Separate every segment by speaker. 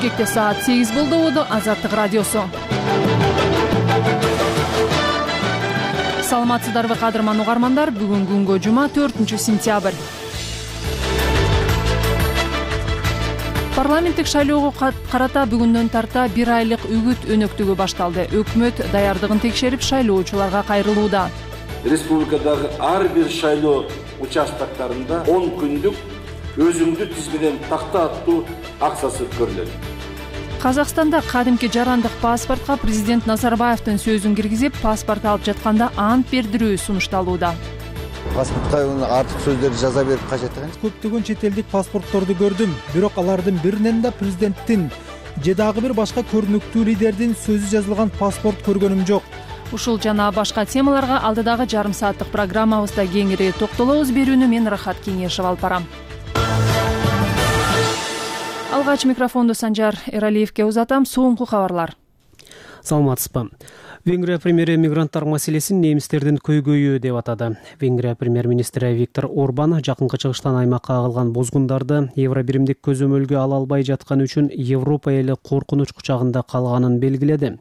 Speaker 1: Бишкекте саат 8 болду. Азаттык радиосу. Саламатсыздарбы кадырман угармандар? Бүгүн күнгө жума 4-сентябрь. Парламенттик шайлоого карата бүгүндөн тарта 1 айлык үгүт өнөктүгү башталды. Өкмөт даярдыгын текшерип, шайлоочуларга кайрылууда.
Speaker 2: Республикадагы ар бир шайлоо участоктарында 10 күндүк өзүңдү тизмеден такта аттуу акчасы көрүлөт.
Speaker 1: Казакстанда кадимки жарандык паспортко президент Назарбаевдин сөзүн киргизип, паспорт алып жатканда ант бердирүү сунушталууда.
Speaker 3: Паспортко артык сөздөрдү жаза берип кажет экен.
Speaker 4: Көптөгөн чет элдик паспортторду көрдүм, бирок алардын биринен да президенттин же дагы бир башка көрүнүктүү лидердин сөзү жазылган паспорт көргөнүм жок.
Speaker 1: Ушул жана башка темаларга алдыдагы жарым сааттык программабызда кеңири токтолобуз. Берүүнү мен Рахат Кеңешев алып барам. Алгач микрофонду Санжар Эралиевке узатам. Соңку кабарлар.
Speaker 5: Саламатсызбы. Венгрия премьери мигранттар маселесин немистердин көйгөйү деп атады. Венгрия премьер-министри Виктор Орбан жакынкы чыгыштан аймакка агылган бозгундарды евробиримдик көзөмөлгө ала албай жатканы үчүн Европа эли коркунуч кучагында калганын белгиледи.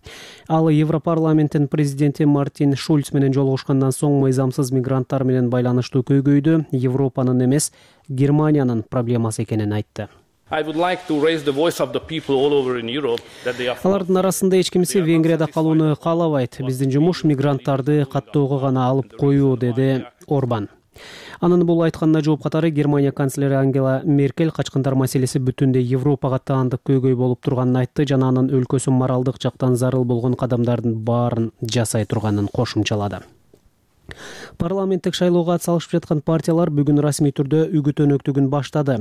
Speaker 5: Ал Европарламенттин президенти Мартин Шульц менен жолугушкандан соң мыйзамсыз мигранттар менен байланыштуу көйгөйдү Европанын эмес, Германиянын проблемасы экенин айтты. Алардын арасында эч кимиси Венгрияда калууну каалабайт. Биздин жумуш мигранттарды каттоого гана алып коюу, деди Орбан. Анын бул айтканына жооп катары Германия канцлери Ангела Меркель качкындар маселеси бүтүндөй Европага таандык көйгөй болуп турганын айтты жана анын өлкөсү моралдык жактан зарыл болгон кадамдардын баарын жасай турганын кошумчалады. Парламенттик шайлоого атсалышып жаткан партиялар бүгүн расмий түрдө үгүт өнөктүгүн баштады.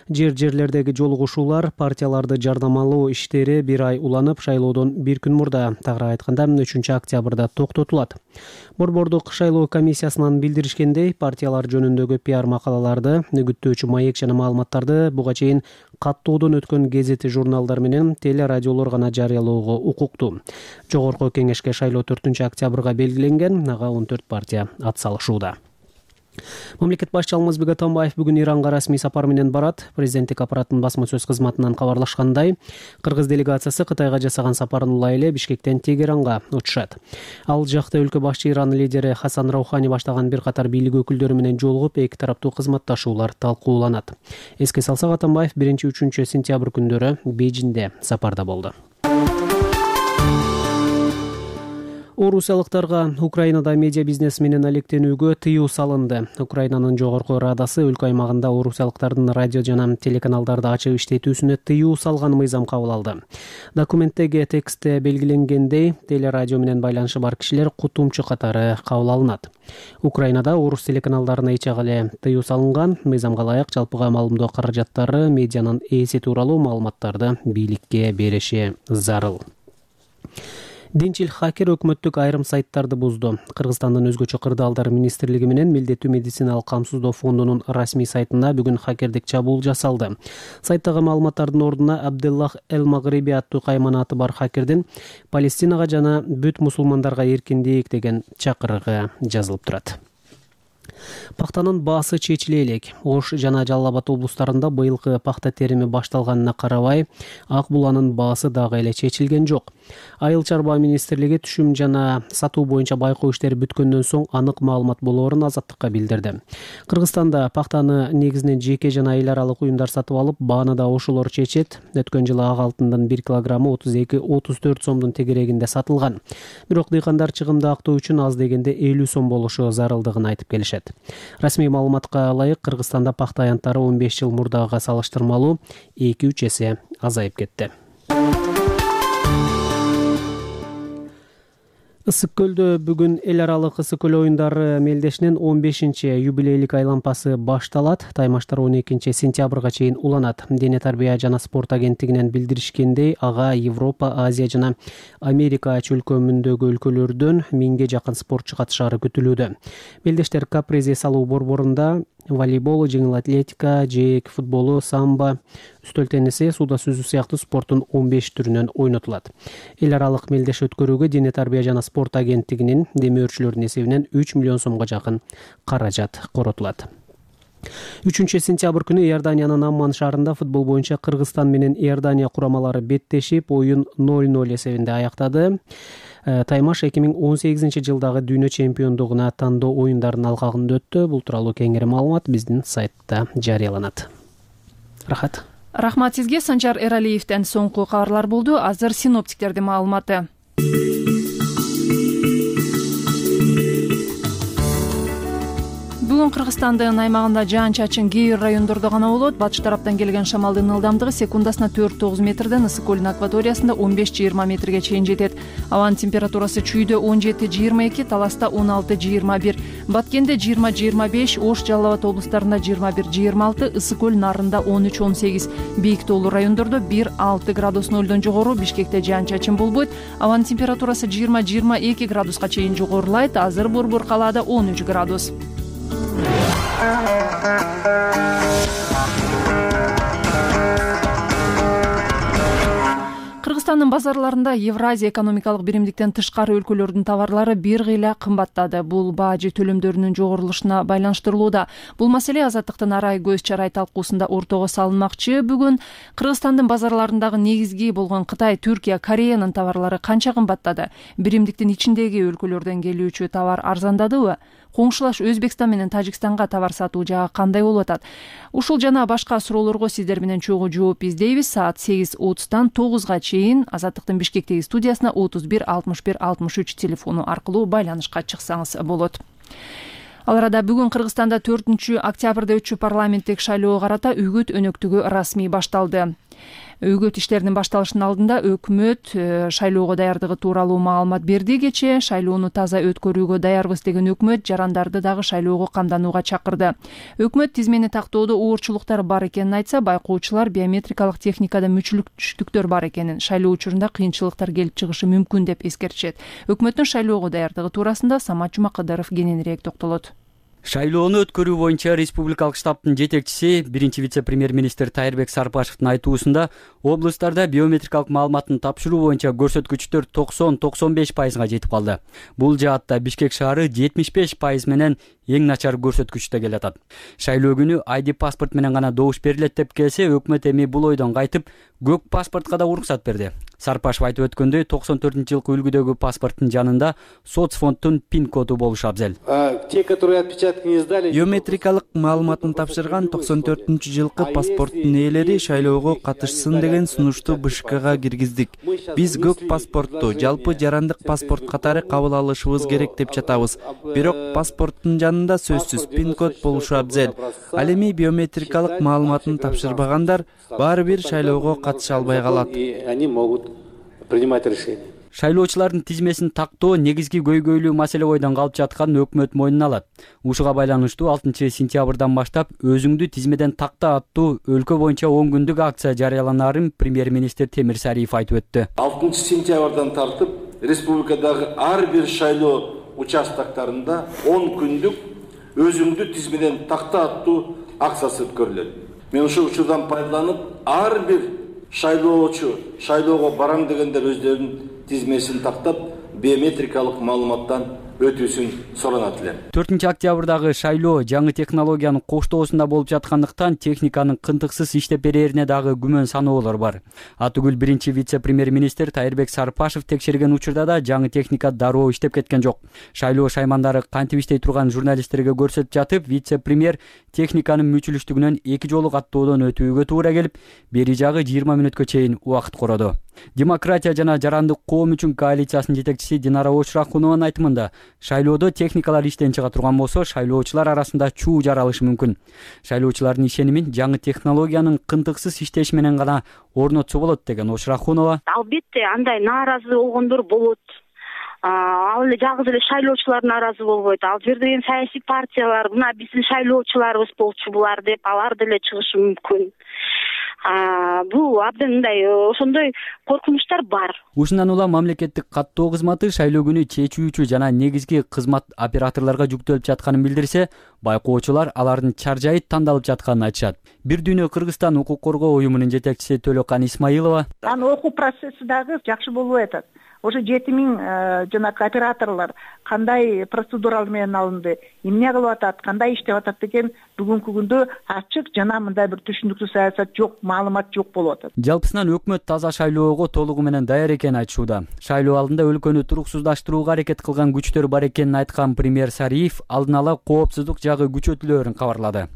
Speaker 5: Жер-жерлердеги жолугушуулар, партияларды жардамалоо иштери 1 ай уланып, шайлоодон 1 күн мурда, тагыраак айтканда 3-октябрда токтотулат. Борбордук шайлоо комиссиясынан билдиришкендей, партиялар жөнүндөгү пиар макалаларды, үгүттөөчү маек жана маалыматтарды буга чейин каттоодон өткөн газети, журналдар менен телерадиолор гана жарыялоого укуктуу. Жогорку кеңешке шайлоо 4-октябрга белгиленген, ага 14 партия атсалышууда. Мамлекет башчы Алмазбек Атамбаев бүгүн Иранга расмий сапар менен барат. Президенттик аппараттын басма сөз кызматынан кабарлашкандай, кыргыз делегациясы Кытайга жасаган сапарын улай эле Бишкектен Тегеранга учушат. Ал жакта өлкө башчы Иран лидери Хасан Раухани баштаган бир катар бийлик өкүлдөрү менен жолугуп, эки тараптуу кызматташуулар талкууланат. Эске салсак, Атамбаев 1-3 сентябрь күндөрү Бейжиңде сапарда болду. Орусиялыктарга Украинада медиа бизнес менен алектенүүгө тыюу салынды. Украинанын жогорку радасы өлкө аймагында орусиялыктардын радио жана телеканалдарды ачып иштетүүсүнө тыюу салган мыйзам кабыл алды. Документтеги текстте белгиленгендей, телерадио менен байланышы бар кишилер кутумчу катары кабыл алынат. Украинада орус телеканалдарына ичек эле тыюу салынган. Мыйзамга ылайык жалпыга маалымдоо каражаттары медианын ээси тууралуу маалыматтарды бийликке бериши зарыл. Динчил хакер өкмөттүк айрым сайттарды бузду. Кыргызстандын өзгөчө кырдаалдар министрлиги менен милдеттүү медициналык камсыздоо фондунун расмий сайтына бүгүн хакердик чабуул жасалды. Сайттагы маалыматтардын ордуна Абделлах Эл-Магриби аттуу кайманаты бар хакердин Палестинага жана бүт мусулмандарга эркиндик деген чакырыгы жазылып турат. Пактанын баасы чечиле элек. Ош жана Жалал Абад облустарында быйылкы пакта терими башталганына карабай, Ак Буланын баасы дагы эле чечилген жок. Айыл чарба министрлиги түшүм жана сатуу боюнча байкоо иштери бүткөндөн соң анык маалымат болоорун Азаттыкка билдирди. Кыргызстанда пактаны негизинен жеке жана эл аралык уюмдар сатып алып, бааны да ошолор чечет. Өткөн жылы ак алтындын 1 килограммы 32-34 сомдун тегерегинде сатылган. Бирок дыйкандар чыгымды актоо үчүн аз дегенде 50 сом болушу зарылдыгын айтып келишет. Расмий маалыматка ылайык, Кыргызстанда пакта аянттары 15 жыл мурдага салыштырмалуу 2-3 эсе азайып кетти. Ысык көлдө бүгүн эл аралык ысык көл оюндары мелдешинин 15-юбилейлик айлампасы башталат. Таймаштар 12 сентябрга чейин уланат. Дене тарбия жана спорт агенттигинен билдиришкендей, ага Европа, Азия жана Америка чөлкөмүндөгү өлкөлөрдөн 1000ге жакын спортчу катышаары күтүлүүдө. Мелдештер капрезе салуу борборунда волейбол, жеңил атлетика, жээк футболу, самбо, үстөл тенниси, сууда сүзүү сыяктуу спорттун 15 түрүнөн ойнотулат. Эл аралык мелдеш өткөрүүгө дене тарбия жана спорт агенттигинин демөөрчүлөрдүн эсебинен 3 миллион сомго жакын каражат коротулат. 3 сентябрь күнү Иорданиянын Амман шаарында футбол боюнча Кыргызстан менен Иордания курамалары беттешип, оюн 0-0 эсебинде аяктады. Таймаш 2018 жылдагы дүйнө чемпиондугуна тандоо оюндарынын алкагында өттү. Бул тууралуу кеңири маалымат биздин сайтта жарыяланат.
Speaker 1: Рахмат сизге. Санжар Эралиевден соңку кабарлар болду. Азыр синоптиктердин маалыматы. Бүгүн Кыргызстандын аймагында жаан-чачын кээ бир райондордо гана болот. Батыш тараптан келген шамалдын ылдамдыгы секундасына 4-9 метрден, ысык көлүн акваториясында 15-20 метрге чейин жетет. Абанын температурасы Чүйдө 17-22, Таласта 16-21, Баткенде 20-25, Ош, Жалал Абад облустарында 21-26, ысык көл нарында 13-18, бийик тоолуу райондордо 1-6 градус нөлдөн жогору, Бишкекте жаан-чачын болбойт. Абанын температурасы 20-22 градуска чейин жогорулайт. Азыр Борбор калаада 13 градус. Кыргызстандын базарларында Евразия экономикалык биримдиктен тышкары өлкөлөрдүн товарлары бир кыйла кымбаттады. Бул бажы төлөмдөрүнүн жогорулушуна байланыштырылууда. Бул маселе Азаттыктын арай көз чарай талкуусунда ортого салынмакчы. Бүгүн Кыргызстандын базарларындагы негизги болгон Кытай, Түркия, Кореянын товарлары канча кымбаттады? Биримдиктин ичиндеги өлкөлөрдөн келүүчү товар арзандадыбы? Коңшулаш Өзбекстан менен Тажикстанга товар сатуу жагы кандай болуп атат? Ушул жана башка суроолорго сиздер менен чогуу жооп издейбиз. Саат 8:30-тан 9-га чейин Азаттыктын Бишкектеги студиясына 31 61 63 телефону аркылуу байланышка чыксаңыз болот. Ал арада бүгүн Кыргызстанда 4 октябрда өтчү парламенттик шайлоого карата үгүт өнөктүгү расмий башталды. Үгүт иштеринин башталышынын алдында өкмөт шайлоого даярдыгы тууралуу маалымат берди. Кечээ шайлоону таза өткөрүүгө даярбыз деген өкмөт жарандарды дагы шайлоого камданууга чакырды. Өкмөт тизмени тактоодо оорчулуктар бар экенин айтса, байкоочулар биометрикалык техникада мүчүлүктүктөр бар экенин, шайлоо учурунда кыйынчылыктар келип чыгышы мүмкүн деп эскертишет. Өкмөттүн шайлоого даярдыгы туурасында Самат Жумакадыров кененирээк токтолот.
Speaker 6: Шайлоону өткөрүү боюнча республикалык штабтын жетекчиси, биринчи вице-премьер-министр Тайырбек Сарпашевдин айтуусунда, облустарда биометрикалык маалыматтын тапшыруу боюнча көрсөткүчтөр 90-95% жетип калды. Бул жаатта Бишкек шаары 75% менен эң начар көрсөткүчтө келатат. Шайлоо күнү ID паспорт менен гана добуш берилет деп келсе, өкмөт эми бул ойдон кайтып, көк паспортко да уруксат берди. Сарпашев айтып өткөндөй, 94-жылкы үлгүдөгү паспорттун жанында соцфонддун пин коду болушу абзел.
Speaker 7: Те, которые отпечатки не сдали, биометрикалык маалыматын тапшырган 94-жылкы паспорттун ээлери шайлоого катышсын деген сунушту БШКга киргиздик. Биз көк паспортту жалпы жарандык паспорт катары кабыл алышыбыз керек деп жатабыз. Бирок паспорттун жанында сөзсүз пин код болушу абзел. Ал эми биометрикалык маалыматын тапшырбагандар баары бир шайлоого катыша албай калат. Они могут принимать решение.
Speaker 6: Шайлоочулардын тизмесин тактоо негизги көйгөйлүү маселе ойдон калып жатканын өкмөт мойнуна алат. Ушуга байланыштуу 6 сентябрдан баштап өзүңдү тизмеден такта аттуу өлкө боюнча 10 күндүк акция жарыяланаарын премьер-министр Темир Сариев айтып өттү.
Speaker 2: 6 сентябрдан тартып республикадагы ар бир шайлоо участоктарында 10 күндүк өзүңдү тизмеден такта аттуу акциясы өткөрүлөт. Мен ушул учурдан пайдаланып, ар бир шайлоочу шайлоого барам дегендер өздөрүнүн тизмесин тактап, биометрикалык маалыматтан өтүүсүн суранат элем.
Speaker 6: 4 октябрдагы шайлоо жаңы технологиянын коштоосунда болуп жаткандыктан техниканын кынтыксыз иштеп берерине дагы күмөн саноолор бар. Атүгүл биринчи вице-премьер-министр Тайырбек Сарпашев текшерген учурда да жаңы техника дароо иштеп кеткен жок. Шайлоо шаймандары кантип иштей турган журналисттерге көрсөтүп жатып, вице-премьер техниканын мүчүлүштүгүнөн 2 жолу каттоодон өтүүгө туура келип, бери жагы 20 мүнөткө чейин убакыт короду. Демократия жана жарандык коом үчүн коалициясынын жетекчиси Динара Очрахунованын айтымында, шайлоодо техникалар иштен чыга турган болсо, шайлоочулар арасында чуу жаралышы мүмкүн. Шайлоочулардын ишенимин жаңы технологиянын кынтыксыз иштеши менен гана орнотсо болот деген Очрахунова.
Speaker 8: Албетте андай нааразы болгондор болот. Ал эле жалгыз эле шайлоочулар нааразы болбойт. Ал жерде саясий партиялар, мына биздин шайлоочуларыбыз болчу булар деп, алар деле чыгышы мүмкүн. Бул абдан мындай ошондой коркунучтар бар.
Speaker 6: Ушундан улам мамлекеттик каттоо кызматы шайлоо күнү чечүүчү жана негизги кызмат операторлорго жүктөлүп жатканын билдирсе, байкоочулар алардын чаржайыт тандалып жатканын айтышат. Бир дүйнө Кыргызстан укук коргоо уюмунун жетекчиси Төлөкан Исмаилова:
Speaker 9: Окуу процесси дагы жакшы болбой атат. ошо 7000 жанагы операторлор кандай процедуралар менен алынды, эмне кылып атат, кандай иштеп атат деген бүгүнкү күндө ачык жана мындай бир түшүнүктүү саясат жок, маалымат жок болуп атат.
Speaker 6: Жалпысынан өкмөт таза шайлоого толугу менен даяр экенин айтышууда. Шайлоо алдында өлкөнү туруксуздаштырууга аракет кылган күчтөр бар экенин айткан премьер Сариев алдын ала коопсуздук жагы күчөтүлөөрүн кабарлады.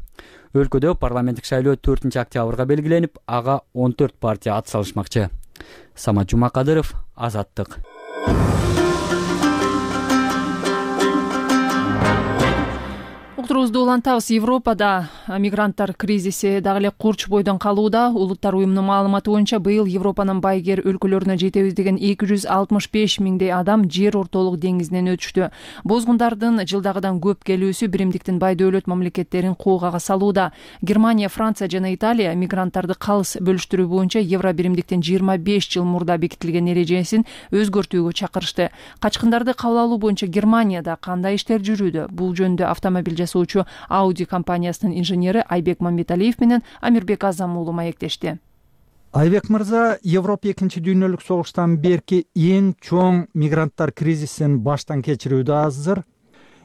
Speaker 6: Өлкөдө парламенттик шайлоо 4-октябрга белгиленип, ага 14 партия ат салышмакчы. Самат Жумакадыров, Азаттык.
Speaker 1: Уктуруубузду улантабыз. Европада мигранттар кризиси дагы эле курч бойдон калууда. Улуттар уюмунун маалыматы боюнча быйыл Европанын байгер өлкөлөрүнө жетебиз деген 265 миңдей адам жер ортолук деңизинен өтүштү. Бозгундардын жылдагыдан көп келүүсү биримдиктин бай дөөлөт мамлекеттерин коогага салууда. Германия, Франция жана Италия мигранттарды калыс бөлүштүрүү боюнча Евро биримдиктин 25 жыл мурда бекитилген эрежесин өзгөртүүгө чакырышты. Качкындарды кабыл алуу боюнча Германияда кандай иштер жүрүүдө? Бул жөнүндө автомобиль Audi компаниясынын инженери Айбек Мамбеталиев менен Амирбек Азам уулу маектешти.
Speaker 4: Айбек мырза, Европа 2-дүйнөлүк согуштан берки эң чоң мигранттар кризисин баштан кечирүүдө азыр.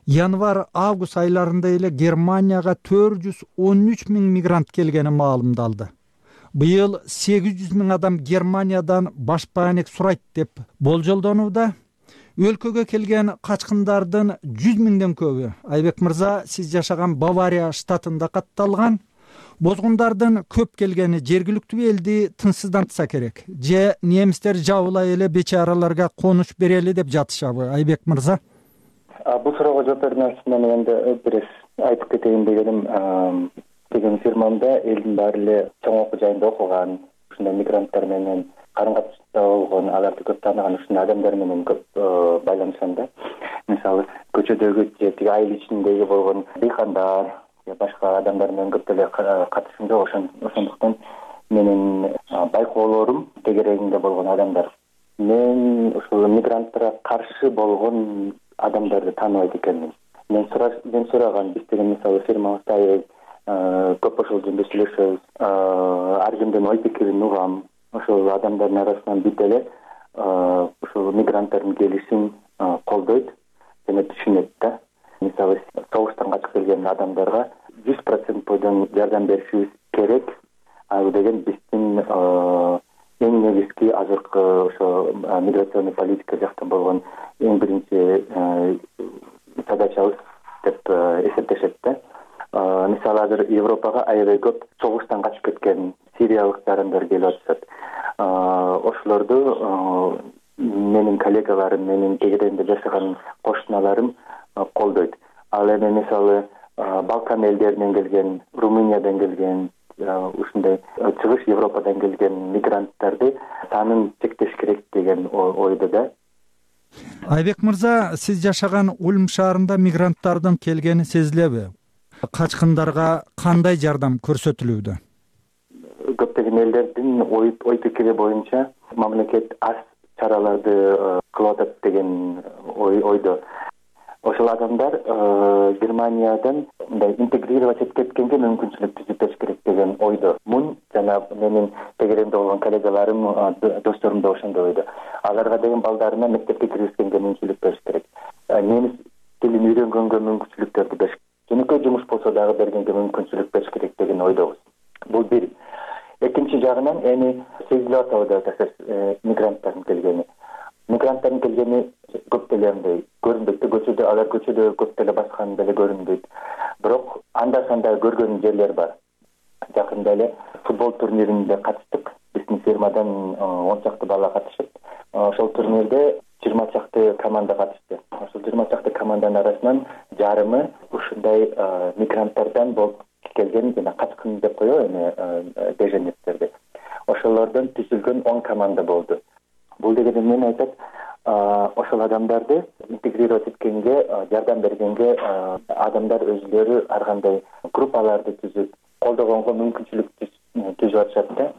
Speaker 4: Январь-август айларында эле Германияга 413 миң мигрант келгени маалымдалды. Быйыл 800 миң адам Германиядан башпаанек сурайт деп болжолдонууда. Өлкөгө келген качкындардын 100 миңден көбү, Айбек мырза, сиз жашаган Бавария штатында катталган. Бозгундардын көп келгени жергиликтүү элди тынчсыздантса керек. Же немистер жабылай эле бечараларга конуш берели деп жатышабы, Айбек мырза?
Speaker 10: Бул суроого жооп берүүнүн ачысынан эми бир айтып кетейин деген фирмамда элдин баары эле чоң окуу жайында окуган, ушундай мигранттар менен карым-катышта болгон, аларды көп тааныган ушундай адамдар менен көп байланышам да. Мисалы, көчөдөгү же тиги айыл ичиндеги болгон дыйкандар, башка адамдар менен көп деле катышым жок. Ошондуктан менин байкоолорум тегерегинде болгон адамдар. Мен ушул мигранттарга каршы болгон адамдарды тааныбайт экенмин. Мен сураган, биз деген мисалы фирмабызда көп ошол жөнүндө сүйлөшөбүз. Ар кимдин ой пикирин угам. Ошол адамдардын арасынан бир деле ушул мигранттардын келишин колдойт жана түшүнөт да. Мисалы, согуштан качып келген адамдарга 100% бойдон жардам беришибиз керек. Ал деген биздин эң негизги азыркы ошо миграционный политика жактан болгон эң биринчи задачабыз деп эсептешет да. Мисалы, азыр Европага аябай көп согуштан качып кеткен сириялык жарандар келип атышат. Ошолорду менин коллегаларым, менин тегерегинде жашаган кошуналарым колдойт. Ал эми мисалы Балкан элдеринен келген, Румыниядан келген, ушундай чыгыш Европадан келген мигранттарды санын чектеш керек деген ойдо да.
Speaker 4: Айбек мырза, сиз жашаган Ульм шаарында мигранттардын келгени сезилеби? Качкындарга кандай жардам көрсөтүлүүдө?
Speaker 10: Көптөгөн элдердин ой пикири боюнча мамлекет аз чараларды кылып атат деген ойдо. Ошол адамдар Германиядан мындай интегрировать этип кеткенге мүмкүнчүлүк түзүп бериш керек деген ойдо. Мун жана менин тегеремде болгон коллегаларым, досторум да ошондой ойдо. Аларга деген балдарына мектепке киргизгенге мүмкүнчүлүк бериш керек. Немис тилин үйрөнгөнгө мүмкүнчүлүктөрдү бериш керек. Жөнөкөй жумуш болсо дагы бергенге мүмкүнчүлүк бериш керек деген ойдобуз. Бул бир. Экинчи жагынан эми сезилип атабы да мигранттардын келгени. Мигранттардын келгени көп деле андай көрүнбөйт. Көчөдө алар көчөдө көп деле баскан деле көрүнбөйт. Бирок анда-санда көргөн жерлер бар. Жакында эле футбол турниринде катыштык. Биздин фирмадан 10 чакты бала катышып, ошол турнирде 20 чакты команда катышты. Ошол 20 чакты команданын арасынан жарымы ушундай мигранттардан болуп келген жана качкын деп коебу эми беженецтерди. Ошолордон түзүлгөн 10 команда болду. Бул дегенде эмнени айтат? Ошол адамдарды интегрировать эткенге, жардам бергенге адамдар өзүлөрү ар кандай группаларды түзүп, колдогонго мүмкүнчүлүк түзүп атышат да.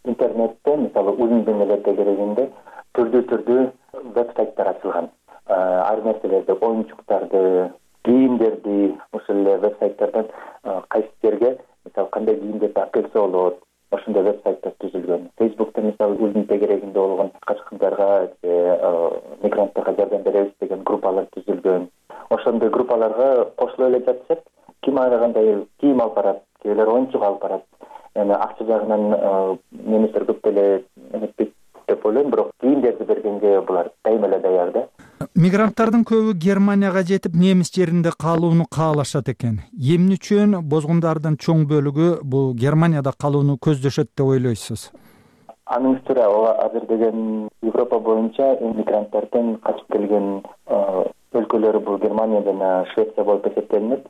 Speaker 10: Интернетте, мисалы, Ульмдун эле тегерегинде түрдүү веб-сайттар ачылган. Ар нерселерди, оюнчуктарды, кийимдерди ошол эле веб-сайттардан кайсы жерге, мисалы, кандай кийимдерди алып келсе болот, ошондой веб-сайттар түзүлгөн. Facebook'та мисалы Ульмдун тегерегинде болгон качкындарга келе жатышат. Ким ар кандай кийим алып барат, кээбилер оюнчук алып барат. Эми акча жагынан немистер көп деле эметпейт деп ойлойм, бирок кийимдерди бергенге булар дайыма эле даяр да.
Speaker 4: Мигранттардын көбү Германияга жетип немис жеринде калууну каалашат экен. Эмне үчүн бозгундардын чоң бөлүгү бул Германияда калууну көздөшөт деп ойлойсуз?
Speaker 10: Анын үстүнө азыр деген Европа боюнча мигранттардын качып келген өлкөлөрү бул Германия жана Швеция болуп эсептелинет.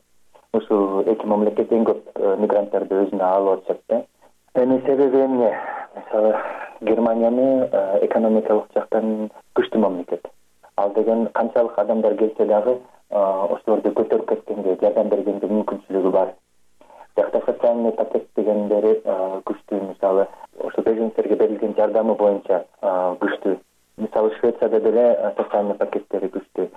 Speaker 10: Ушул эки мамлекет эң көп мигранттарды өзүнө алып атышат да. Эми себеби эмне? Мисалы, Германияны экономикалык жактан күчтүү мамлекет. Ал деген канчалык адамдар келсе дагы ошолорду көтөрүп кеткенге, жардам бергенге мүмкүнчүлүгү бар. Жакта социальный пакет дегендери күчтүү. Мисалы, ошо беженцтерге берилген жардамы боюнча күчтүү. Мисалы, Швецияда деле социальный пакеттери күчтүү.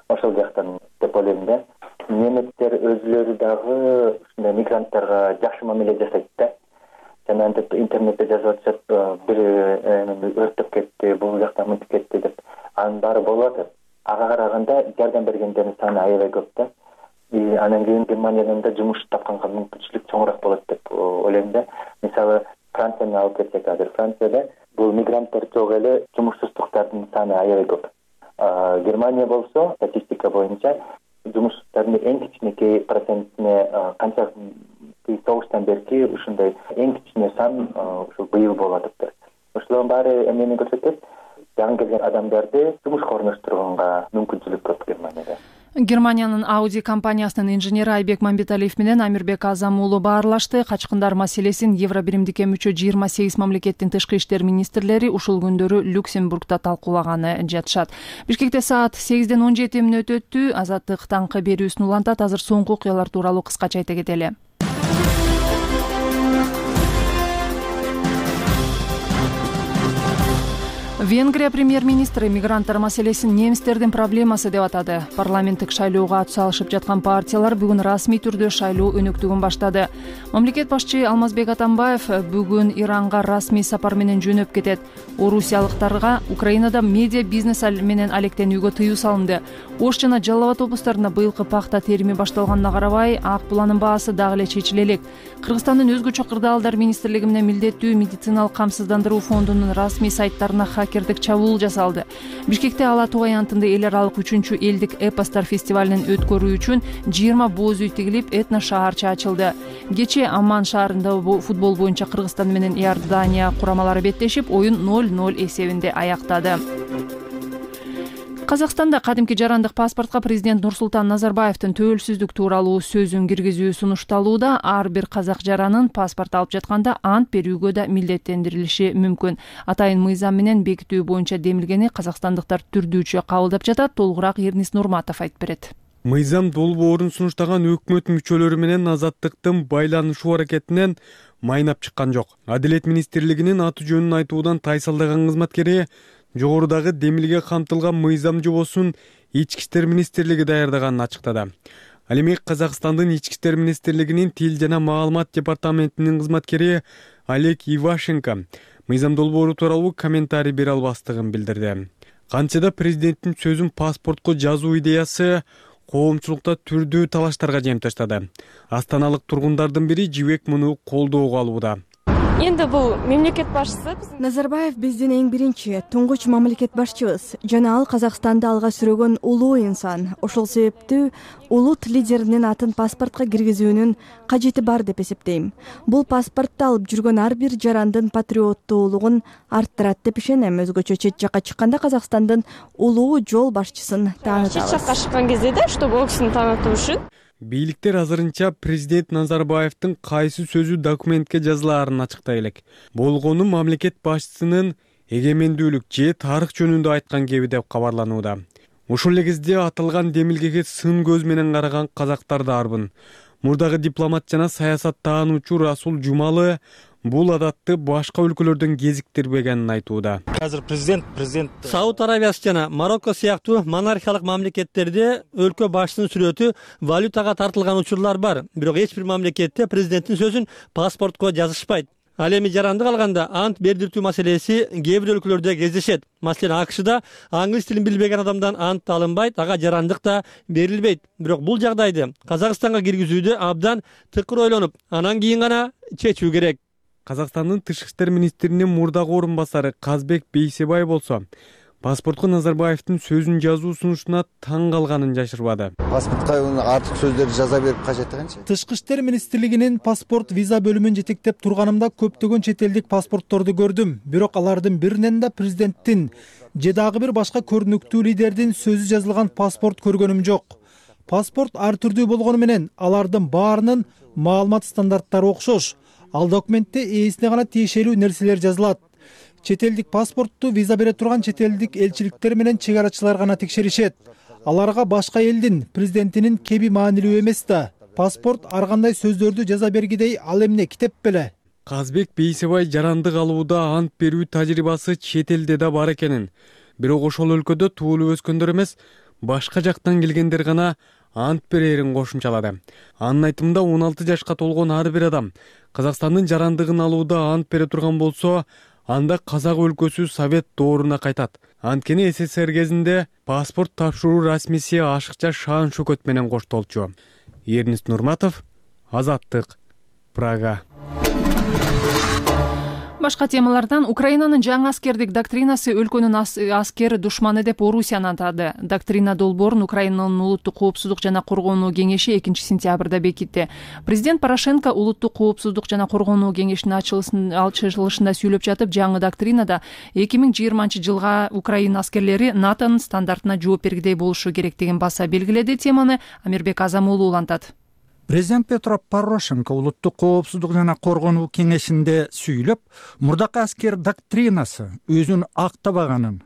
Speaker 10: Ошол жактан деп ойлойм да. Неметтер өзүлөрү дагы ушундай мигранттарга жакшы мамиле жасайт да. Жана антип интернетте жазып атышат, бир өрттөп кетти, бул жакта мынтип кетти деп. Анын баары болуп атат. Ага караганда жардам бергендердин саны аябай көп да. Анан кийин Германиядан да жумуш тапканга мүмкүнчүлүк чоңураак болот деп ойлойм да. Мисалы, Францияны алып кетсек, азыр Францияда бул мигранттар жок эле жумушсуздуктардын саны аябай көп. Германия болсо статистика боюнча жумушсуздардын эң кичинекей процентине канча согуштан берки ушундай эң кичине сан ушул быйыл болуп атыптыр. Ошолордун баары эмнени көрсөтөт? Жаңы келген адамдарды жумушка орноштурганга мүмкүнчүлүк көп Германияда.
Speaker 1: Германиянын Audi компаниясынын инженери Айбек Мамбеталиев менен Амирбек Азам уулу баарлашты. Качкындар маселесин Евро биримдикке мүчө 28 мамлекеттин тышкы иштер министрлери ушул күндөрү Люксембургда талкуулаганы жатышат. Бишкекте саат 8:17 өтүптү. Азаттык таңкы берүүсүн улантат. Азыр соңку окуялар тууралуу кыскача айта кетели. Венгрия премьер-министри мигранттар маселесин немистердин проблемасы деп атады. Парламенттик шайлоого ат салышып жаткан партиялар бүгүн расмий түрдө шайлоо өнөктүгүн баштады. Мамлекет башчы Алмазбек Атамбаев бүгүн Иранга расмий сапар менен жөнөп кетет. Орусиялыктарга Украинада медиа бизнес менен алектенүүгө тыюу салынды. Ош жана Жалал Абад облустарында быйылкы пахта терими башталганына карабай, ак буланын баасы дагы эле чечиле элек. Кыргызстандын өзгөчө кырдаалдар министрлиги менен милдеттүү медициналык камсыздандыруу фондунун расмий сайттарына хакердик чабуул жасалды. Бишкекте Ала Тоо аянтында эл аралык 3-чү элдик эпостор фестивалын өткөрүү үчүн 20 боз үй тигилип, этно шаарча ачылды. Кечээ Амман шаарында футбол боюнча Кыргызстан менен Иордания курамалары беттешип, оюн 0-0 эсебинде аяктады. Казакстанда кадимки жарандык паспортко президент Нурсултан Назарбаевдин төөлсүздүк тууралуу сөзүн киргизүү сунушталууда. Ар бир казак жаранын паспорт алып жатканда ант берүүгө да милдеттендирилиши мүмкүн. Атайын мыйзам менен бекитүү боюнча демилгени казакстандыктар түрдүүчө кабылдап жатат. Толугураак Эрнис Нурматов айтып берет.
Speaker 11: Мыйзам долбоорун сунуштаган өкмөт мүчөлөрү менен азаттыктын байланышуу аракетинен майнап чыккан жок. Адилет министрлигинин аты жөнүн айтуудан тайсалдаган кызматкери жогорудагы демилге камтылган мыйзам жобосун Ички иштер министрлиги даярдаганын ачыктады. Ал эми Казакстандын Ички иштер министрлигинин тил жана маалымат департаментинин кызматкери Олег Ивашенко мыйзам долбоору тууралуу комментарий бере албастыгын билдирди. Канчада президенттин сөзүн паспортко жазуу идеясы коомчулукта түрдүү талаштарга жемташтады. Астаналык тургундардын бири Жибек муну колдоого алууда.
Speaker 12: Эndi бул мемлекет башчысы
Speaker 13: Назарбаев биздин эң биринчи туңгуч мамлекет башчыбыз жана ал Казакстанды алга сүрөгөн улуу инсан. Ошол себептүү улут лидеринин атын паспортко киргизүүнүн кажети бар деп эсептейм. Бул паспортду алып жүргөн ар бир жарандын патриоттуулугун арттырат деп ишенем. Өзгөчө чет жакка чыкканда Казакстандын улуу жол башчысын таанытабыз.
Speaker 12: Чет жакка чыккан кезде да, чтобы ол кишини таанытуу үчүн
Speaker 11: Бийликтер азырынча президент Назарбаевдин кайсы сөзү документке жазылаарын ачыктай элек. Болгону мамлекет башчысынын эгемендүүлүк же тарых жөнүндө айткан кеби деп кабарланууда. Ушул эле кезде аталган демилгеге сын көз менен караган казактар да арбын. Мурдагы дипломат жана саясат таануучу Расул Жумалы бул адатты башка өлкөлөрдөн кезиктирбегенин айтууда.
Speaker 14: Азыр президент Сауд Арабиясы жана Марокко сыяктуу монархиялык мамлекеттерде өлкө башчысынын сүрөтү валютага тартылган учурлар бар. Бирок эч бир мамлекетте президенттин сөзүн паспортко жазышпайт. Ал эми жарандык алганда ант бердиртүү маселеси кээ бир өлкөлөрдө кездешет. Маселен, АКШда англис тилин билбеген адамдан ант алынбайт, ага жарандык да берилбейт. Бирок бул жагдайды Казакстанга киргизүүдө абдан тыкыр ойлонуп, анан кийин гана чечүү керек.
Speaker 11: Казакстандын тышкы иштер министринин мурдагы орун басары Казбек Бейсебай болсо, паспортко Назарбаевдин сөзүн жазуу сунушуна таң калганын жашырбады.
Speaker 3: Паспортко артык сөздөрдү жаза берип кажети канча?
Speaker 15: Тышкы иштер министрлигинин паспорт виза бөлүмүн жетектеп турганымда көптөгөн чет элдик паспортторду көрдүм. Бирок алардын биринен да президенттин же дагы бир башка көрүнүктүү лидердин сөзү жазылган паспорт көргөнүм жок. Паспорт ар түрдүү болгону менен алардын баарынын маалымат стандарттары окшош. Ал документте ээсине гана тиешелүү нерселер жазылат. Чет элдик паспортту виза бере турган чет элдик элчиликтер менен чек арачылар гана текшеришет. Аларга башка элдин президентинин кеби маанилүү эмес да. Паспорт ар кандай сөздөрдү жаза бергидей ал эмне китеп беле.
Speaker 11: Казбек Бейсебай жарандык алууда ант берүү тажрыйбасы чет элде да бар экенин, бирок ошол өлкөдө туулуп өскөндөр эмес, башка жактан келгендер гана ант берерин кошумчалады. Анын айтымында 16 жашка толгон ар бир адам Казакстандын жарандыгын алууда ант бере турган болсо, анда Казак өлкөсү Совет дооруна кайтат. Анткени СССР кезинде паспорт тапшыруу расмиси ашыкча шаан шөкөт менен коштолчу. Эрнест Нурматов, Азаттык, Прага.
Speaker 1: Башка темалардан Украинанын жаңы аскердик доктринасы өлкөнүн аскер душманы деп Орусияны атады. Доктрина долбоорун Украинанын улуттук коопсуздук жана коргонуу кеңеши 2-сентябрда бекитти. Президент Порошенко улуттук коопсуздук жана коргонуу кеңешинин ачылышында сүйлөп жатып, жаңы доктринада 2020-жылга Украина аскерлери НАТОнун стандартына жооп бергидей болушу керектигин баса белгиледи. Теманы Амирбек Азамуулу улантат.
Speaker 4: Президент Петро Порошенко улуттук коопсуздук жана коргонуу кеңешинде сүйлөп, мурдакы аскер доктринасы өзүн актабаганын,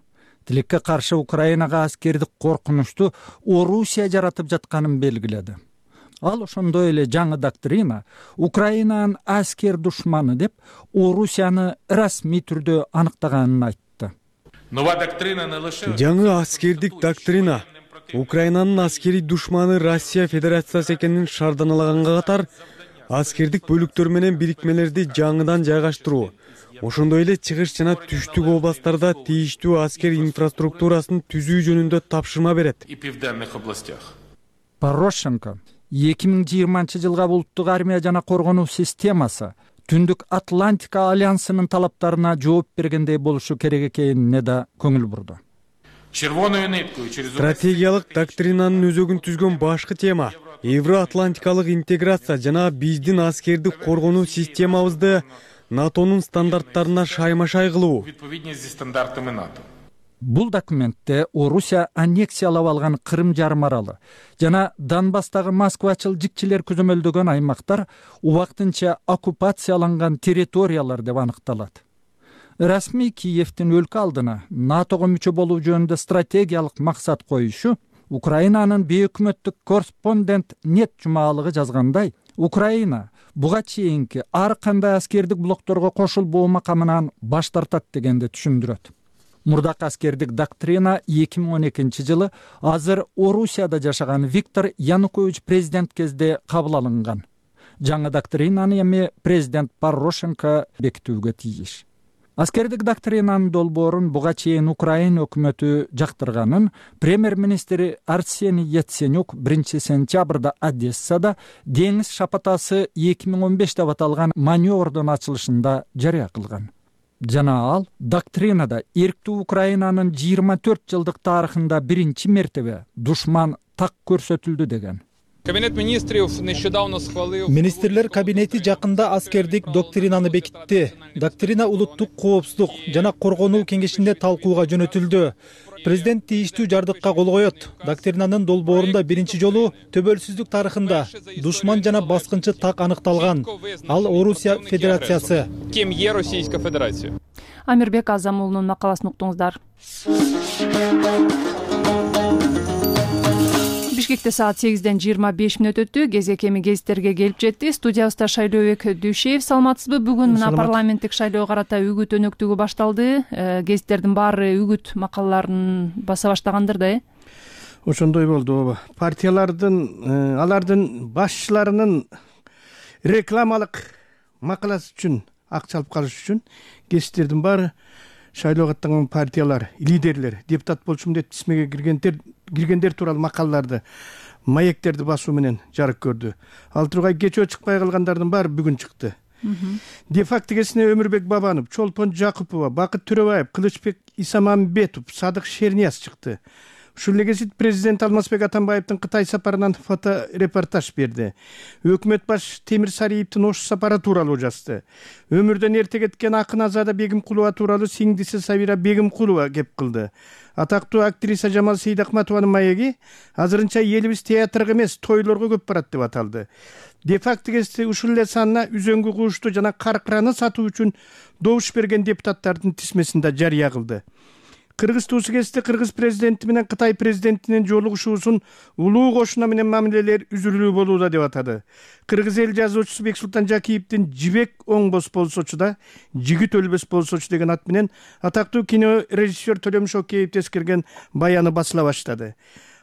Speaker 4: тилекке каршы Украинага аскердик коркунучту Орусия жаратып жатканын белгиледи. Ал ошондой эле жаңы доктрина Украинанын аскер душманы деп Орусияны расмий түрдө аныктаганын айтты.
Speaker 11: Жаңы аскердик доктрина Украинанын аскери душманы Россия Федерациясы экенин шаарданалаганга катар, аскердик бөлүктөр менен бирикмелерди жаңыдан жайгаштыруу, ошондой эле чыгыш жана түштүк областтарда тийиштүү аскер инфраструктурасын түзүү жөнүндө тапшырма берет.
Speaker 4: Порошенко 2020-жылга улуттук армия жана коргонуу системасы Түндүк Атлантика альянсынын талаптарына жооп бергендей болушу керек экенине да көңүл бурду.
Speaker 11: Стратегиялык доктринанын өзөгүн түзгөн башкы тема Евроатлантикалык интеграция жана биздин аскердик коргонуу системабызды НАТОнун стандарттарына шайма-шай кылуу.
Speaker 4: Бул документте Орусия аннексиялап алган Крым жарым аралы жана Донбасстагы Москвачыл жикчилер көзөмөлдөгөн аймактар убактынча оккупацияланган территориялар деп аныкталат. Расмий Киевдин өлкө алдына НАТОго мүчө болуу жөнүндө стратегиялык максат коюшу Украинанын бейөкмөттүк корреспондент нет жумалыгы жазгандай, Украина буга чейинки ар кандай аскердик блокторго кошулбоо макамынан баш тартат дегенди түшүндүрөт. Мурдакы аскердик доктрина 2012-жылы азыр Орусияда жашаган Виктор Янукович президент кезде кабыл алынган. Жаңы доктринаны эми президент Порошенко бекитүүгө тийиш. Аскердик доктринанын долбоорун буга чейин Украина өкмөтү жактырганын премьер-министри Арсений Яценюк 1-сентябрда Одессада деңиз шапатасы 2015 деп аталган маневрдун ачылышында жарыя кылган. Жана ал доктринада эрктүү Украинанын 24 жылдык тарыхында биринчи мертебе душман так көрсөтүлдү деген.
Speaker 15: Министрлер кабинети жакында аскердик доктринаны бекитти. Доктрина улуттук коопсуздук жана коргонуу кеңешинде талкууга жөнөтүлдү. Президент тийиштүү жардыкка кол коет. Доктринанын долбоорунда биринчи жолу төбөлсүздүк тарыхында душман жана баскынчы так аныкталган. Ал Орусия Федерациясы.
Speaker 1: Амирбек Азамуулунун макаласын уктуңуздар. Бишкекте саат 8:25 өттү. Кезек эми гезиттерге келип жетти. Студиябызда Шайлообек Дүйшеев. Саламатсызбы? Бүгүн мына парламенттик шайлоого карата үгүт өнөктүгү башталды. Гезиттердин баары үгүт макалаларын баса баштагандыр да,
Speaker 16: Ошондой болду. Партиялардын алардын башчыларынын рекламалык макаласы үчүн акча алып калыш үчүн гезиттердин баары шайлоого аттанган партиялар, лидерлер, депутат болчумун деп тизмеге киргендер тууралуу макалаларды, маектерди басуу менен жарык көрдү. Ал тургай кечөө чыкпай калгандардын баары бүгүн чыкты. Де факто кесине Өмүрбек Бабанов, Чолпон Жакупова, Бакыт Төрөбаев, Кылычбек Исамамбетов, Садык Шернияз чыкты. Ушул эле кезит президент Алмазбек Атамбаевдин Кытай сапарынан фоторепортаж берди. Өкмөт баш Темир Сариевдин Ош сапары тууралуу жазды. Өмүрдөн эрте кеткен акын Азада Бегимкулова тууралуу сиңдиси Сабира Бегимкулова кеп кылды. Атактуу актриса Жамал Сейдахматованын маеги азырынча элибиз театрга эмес, тойлорго көп барат деп аталды. Де факто кесте ушул эле санына үзөңгү куушту жана каркыраны сатуу үчүн добуш берген депутаттардын тизмесин да жарыя кылды. Кыргыз туусу кесте Кыргыз президенти менен Кытай президентинин жолугушуусун улуу кошуна менен мамилелер үзүлүү болууда деп атады. Кыргыз эл жазуучусу Бексултан Жакиевдин «Жибек оңбос болсочу да, жигит өлбөс болсочу» деген ат менен атактуу кино режиссер Төлөмүш Океев тескерген баяны басыла баштады.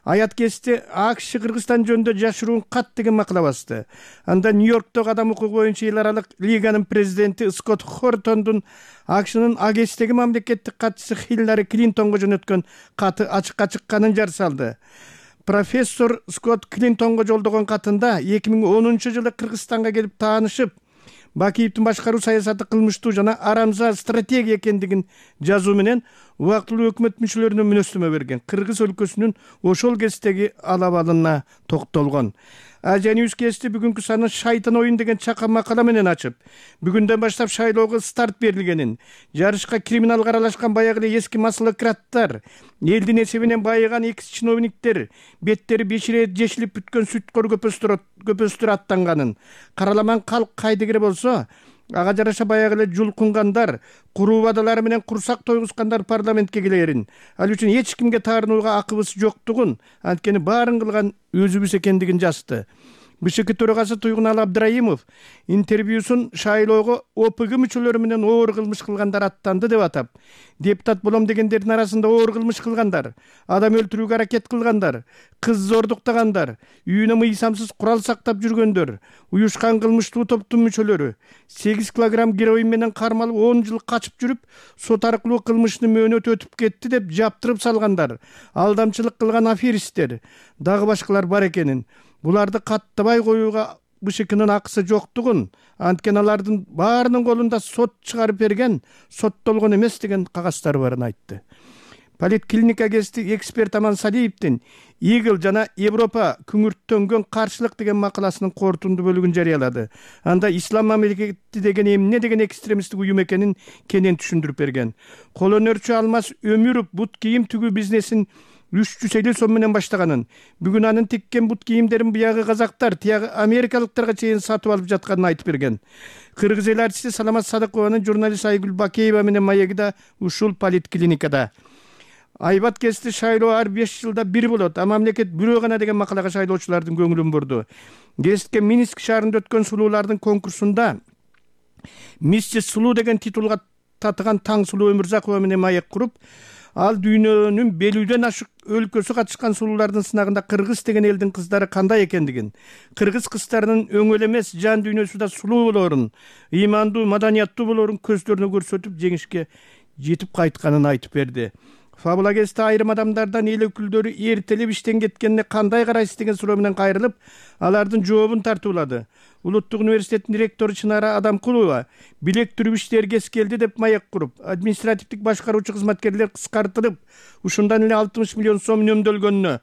Speaker 16: Аят кесте АКШ Кыргызстан жөнүндө жашыруун кат деген макала басты. Анда Нью-Йорктогу адам укугу боюнча эл аралык лиганын президенти Скотт Хортондун АКШнын АГСтеги мамлекеттик катчысы Хиллари Клинтонго жөнөткөн каты ачыкка чыкканын жар салды. Профессор Скотт Клинтонго жолдогон катында 2010-жылы Кыргызстанга келип таанышып, Бакиевдин башкаруу саясаты кылмыштуу жана арамза стратегия экендигин жазуу менен убактылуу өкмөт мүчөлөрүнө мүнөздөмө берген. Кыргыз өлкөсүнүн ошол кездеги алабалына токтолгон. Азия Ньюс кести бүгүнкү санын «Шайтан оюн» деген чакан макала менен ачып, бүгүндөн баштап шайлоого старт берилгенин, жарышка криминалга аралашкан баягы эле эски маслыкраттар, элдин эсебинен байыган экс чиновниктер, беттери беширет жешилип бүткөн сүткөр көпөстөр аттанганын, караламан калк кайдыгере болсо, ага жараша баягы эле жулкунгандар, куруу убадалары менен курсак тойгускандар парламентке келерин, ал үчүн эч кимге таарынууга акыбыз жоктугун, анткени баарын кылган өзүбүз экендигин жазды. БШК төрагасы Туйгунал Абдраимов интервьюсун шайлоого ОПГ мүчөлөрү менен оор кылмыш кылгандар аттанды деп атап, депутат болом дегендердин арасында оор кылмыш кылгандар, адам өлтүрүүгө аракет кылгандар, кыз зордуктагандар, үйүнө мыйзамсыз курал сактап жүргөндөр, уюшкан кылмыштуу топтун мүчөлөрү, 8 килограмм героин менен кармалып 10 жыл качып жүрүп, сот аркылуу кылмышын мөөнөт өтүп кетти деп жаптырып салгандар, алдамчылык кылган аферисттер, дагы башкалар бар экенин, буларды каттабай коюуга БШКнын акысы жоктугун, анткени алардын баарынын колунда сот чыгарып берген, соттолгон эмес деген кагаздар барын айтты. Политклиника гезити эксперт Аман Салиевдин Игл жана Европа күңүрттөнгөн каршылык деген макаласынын корутунду бөлүгүн жарыялады. Анда ислам мамлекети деген эмне деген экстремисттик уюм экенин кенен түшүндүрүп берген. Кол өнөрчү Алмаз Өмүров бут кийим тигүү бизнесин 350 сом менен баштаганын, бүгүн анын тиккен бут кийимдерин биягы казактар, тиягы америкалыктарга чейин сатып алып жатканын айтып берген. Кыргыз эл артисти Саламат Садыкованын журналист Айгүл Бакеева менен маеги да ушул политклиникада. Айбат кести шайлоо ар 5 жылда бир болот, а мамлекет бирөө гана деген макалага шайлоочулардын көңүлүн бурду. Гезитке Минск шаарында өткөн сулуулардын конкурсунда «Миссис Сулуу» деген титулга татыган Таңсулуу Өмүрзакова менен маек куруп, ал дүйнөнүн белүүдөн ашык өлкөсү катышкан сулуулардын сынагында кыргыз деген элдин кыздары кандай экендигин, кыргыз кыздарынын өңөл эмес жан дүйнөсү да сулуу болоорун, ыймандуу, маданияттуу болоорун көздөрүнө көрсөтүп жеңишке жетип кайтканын айтып берди. Фабула кесте айрым адамдардан эл өкүлдөрү эртелеп иштен кеткенине кандай карайсыз деген суроо менен кайрылып, алардын жообун тартуулады. Улуттук университеттин ректору Чынара Адамкулова билек түрүп иштер кез келди деп маек куруп, административдик башкаруучу кызматкерлер кыскартылып, ушундан эле 60 миллион сом үнөмдөлгөнүнө,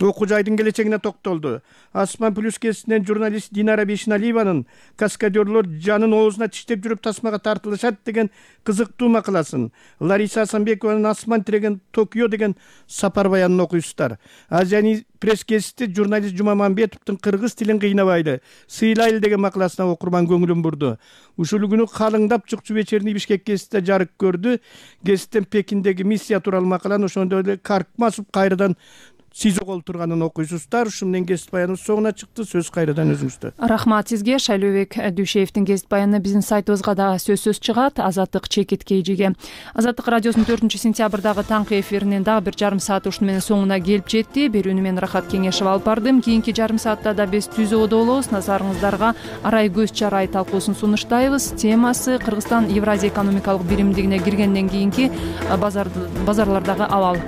Speaker 16: окуу жайдын келечегине токтолду. Асман плюс кесинен журналист Динара Бешиналиеванын каскадерлор жанын оозуна тиштеп жүрүп тасмага тартылышат деген кызыктуу макаласын, Лариса Асанбекованын Асман тиреген Токио деген сапар баянын окуйсуздар. Азияны пресс кесити журналист Жумамамбетовдун кыргыз тилин кыйнабайлы, сыйлайлы деген макаласына окурман көңүлүн бурду. Ушул күнү калыңдап чукчу вечерний Бишкек кеситте жарык көрдү. Кеситтен Пекиндеги миссия тууралуу макаланы ошондой эле Каркмасов кайрадан сизого турганын окуйсуздар. Ушу менен кесип баяныбыз соңуна чыкты. Сөз кайрадан өзүңүздө.
Speaker 1: Рахмат сизге. Шайлообек Дүйшеевдин кесип баяны биздин сайтыбызга да сөзсүз чыгат. Азаттык Чекит Кейжиге. Азаттык радиосунун 4-сентябрдагы таңкы эфиринин дагы бир жарым сааты ушуну менен соңуна келип жетти. Берүүнү мен Рахат Кеңешева алып бардым. Кийинки жарым саатта да биз түзөөдө болобуз. Назарыңыздарга Арай көз чарай талкуусун сунуштайбыз. Темасы Кыргызстан Евразия экономикалык биримдигине киргенден кийинки базарлардагы абал.